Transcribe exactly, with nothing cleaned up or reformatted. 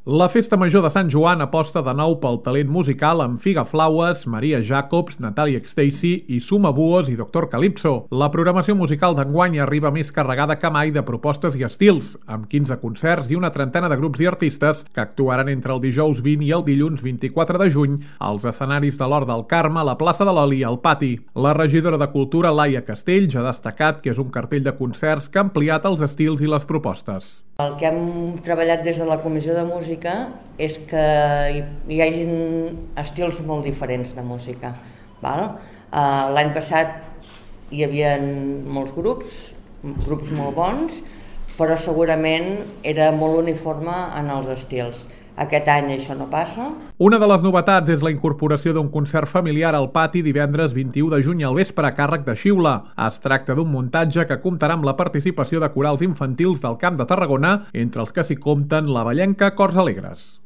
La Festa Major de Sant Joan aposta de nou pel talent musical amb Figa Flaues, Maria Jacobs, Natalia Xtacy i Suma Buos i Doctor Calypso. La programació musical d'enguany arriba més carregada que mai de propostes i estils, amb quinze concerts i una trentena de grups i artistes que actuaran entre el dijous vint i el dilluns vint-i-quatre de juny als escenaris de l'Hort del Carme, la plaça de l'Oli i al Pati. La regidora de Cultura, Laia Castells, ha destacat que és un cartell de concerts que ha ampliat els estils i les propostes. El que hem treballat des de la Comissió de Música és que hi hagi estils molt diferents de música. L'any passat hi havia molts grups, grups molt bons, però segurament era molt uniforme en els estils. Aquest any això no passa. Una de les novetats és la incorporació d'un concert familiar al Pati divendres vint-i-u de juny al vespre a càrrec de Xiula. Es tracta d'un muntatge que comptarà amb la participació de corals infantils del Camp de Tarragona, entre els que s'hi compten la Vallenca Cors Alegres.